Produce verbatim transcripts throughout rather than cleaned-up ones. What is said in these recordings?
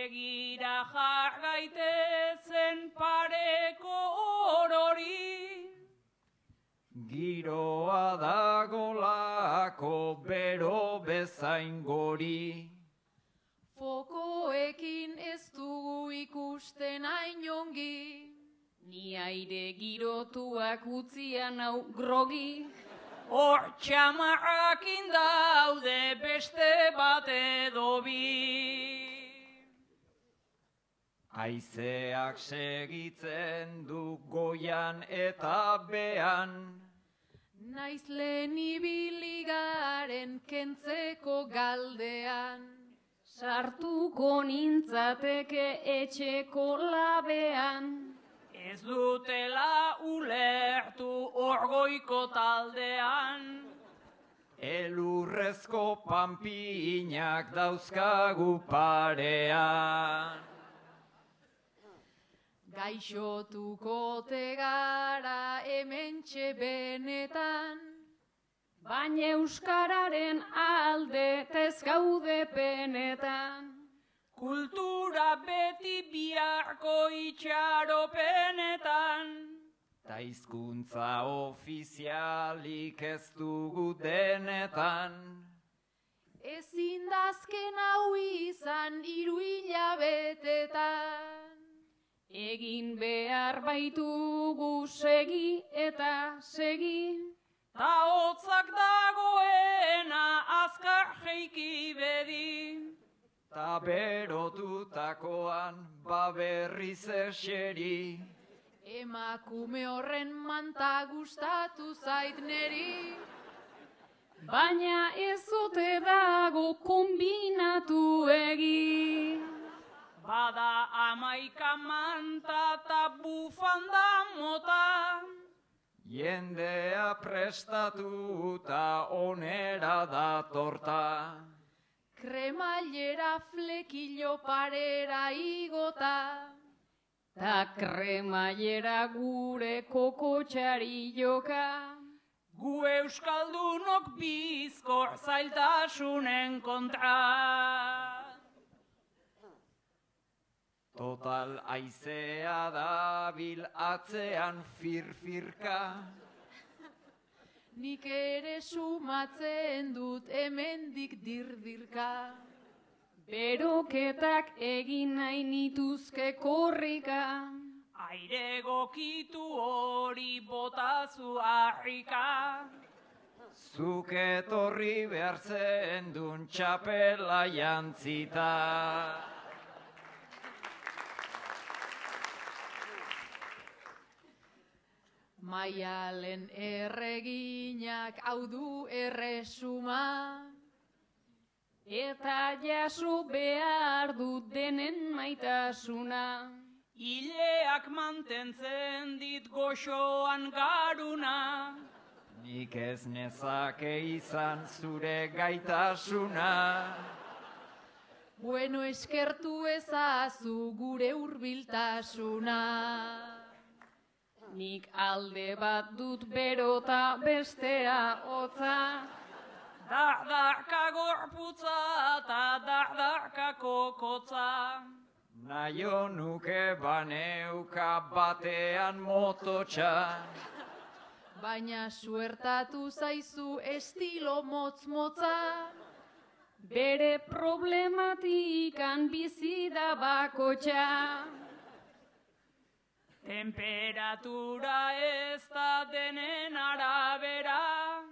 begira jar gaitezen pareko orori. Giroa dagolako bero bezain gori. Fokoekin ez dugu ikusten hain ongi, ni aire girotuak utzian hau grogi. Hor txamarrakin daude beste bat edo bi. Haizeak segitzen du goian eta bean. Naiz lehen ibili garen kentzeko galdean. Sartuko nintzateke etxeko labean. Ez dutela ulertu orgoiko taldean. Elurrezko panpinak dauzkagu parean. Gaixotuko tegara hementxe benetan, baina euskararen alde tez gaude penetan. Kultura beti biharko itxaropenetan. Ta hizkuntza ofizialik ez dugu denetan. Ezin dazken hau izan hiru hilabetetan. Egin behar baitugu segi eta segi. Ta hotzak dagoena azkar jeiki bedi. Ta berotutakoan baberriz eseri. Emakume horren manta gustatu zait neri. Baina ez ote dago kombinatu egi. Bada amaika manta ta bufanda mota. Jendea prestatuta onera datorta. Kremailera flekillo parera igota. Ta kremailera gure kokotxari joka. Gu euskaldunok bizkor zailtasunen kontra. Total aizea dabil atzean firfirka. Nik ere sumatzen dut hemendik dirdirka. Beroketak egin nahi nituzke korrika. Aire gokitu hori botazu harrika. Zuk etorri behar zendun txapela jantzita. Maialen erreginak hau du erresuma. Eta jaso behar dut denen maitasuna. Ileak mantentzen dit goxoan garuna. Nik ez nezake izan zure gaitasuna. Bueno, eskertu ezazu gure hurbiltasuna. Nik alde bat dut berota bestea hotza. Dardarka gorputza eta dardarka kokotza. Naio nuke baneuka batean mototxa. Baina suertatu zaizu estilo motz-motza. Bere problematikan bizi da bakotxa. Temperatura ez da denen arabera.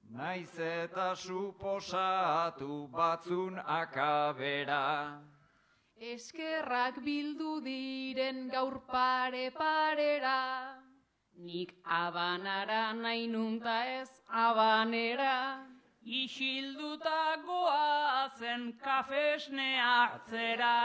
Naiz eta suposatu batzun akabera. Eskerrak bildu diren gaur pare-parera. Nik abanara nahi nunta ez abanera. Isilduta goazen kafesne hartzera.